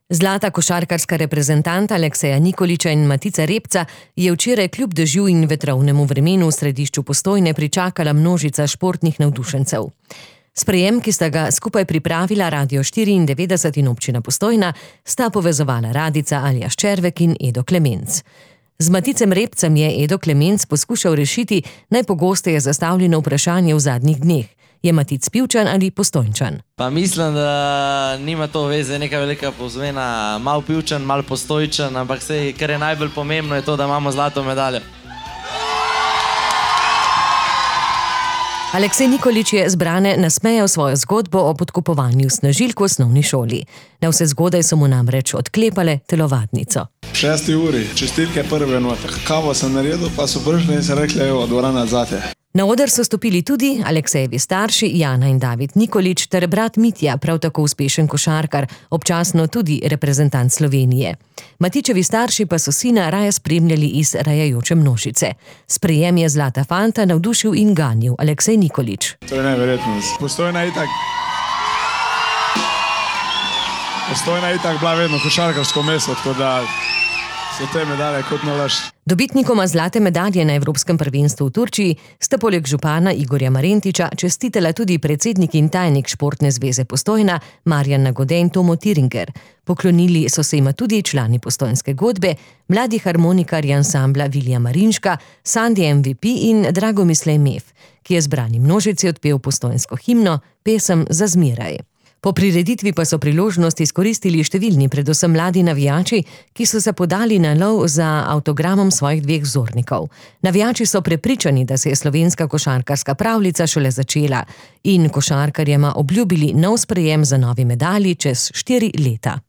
Zlata košarkarska reprezentanta Alekseja Nikolića in Matica Repca je včeraj kljub dežju in vetrovnemu vremenu v središču Postojne pričakala množica športnih navdušencev. Sprejem, ki sta ga skupaj pripravila Radio 94 in občina Postojna, sta povezovala Radica Aljaž Červek in Edo Klemenc. Z Maticem Repcem je Edo Klemenc poskušal rešiti najpogosteje zastavljeno vprašanje v zadnjih dneh. Je Matic Pivčan ali Postojnčan? Pa mislim, da nima to veze neka velika pozmena, malo Pivčan, malo Postojnčan, ampak sej, kar je najbolj pomembno, je to, da imamo zlato medaljo. Aleksej Nikolić je zbrane nasmejal svojo zgodbo o podkupovanju snažilk v osnovni šoli. Na vse zgodaj so mu namreč odklepale telovadnico. 6. uri, čistilke prve note. Kavo sem naredil, pa so prišli in se rekli, evo, dvorana zate. Na oder so stopili tudi Aleksejevi starši Jana in David Nikolić ter brat Mitja, prav tako uspešen košarkar, občasno tudi reprezentant Slovenije. Matičevi starši pa so sina raje spremljali iz rajajoče množice. Sprejem je zlata fanta navdušil in ganil Aleksej Nikolić. To je neverjetno. Postojna je itak bila vedno košarkarsko mesto, tako da so te medalje kot nalaž. Dobitnikoma zlate medalje na Evropskem prvenstvu v Turčiji sta poleg župana Igorja Marentiča čestitela tudi predsednik in tajnik Športne zveze Postojna Marjan Nagode in Tomo Tiringer. Poklonili so se jima tudi člani postojnske godbe, mladi harmonikarji ansambla Vilija Marinška, Sandi MVP in Dragomislej Mef, ki je zbrani množici odpel postojnsko himno Pesem za zmeraj. Po prireditvi pa so priložnost izkoristili številni, predvsem mladi navijači, ki so se podali na lov za avtogramom svojih dveh vzornikov. Navijači so prepričani, da se je slovenska košarkarska pravljica šele začela in košarkarjema obljubili nov sprejem za novi medalji čez 4 leta.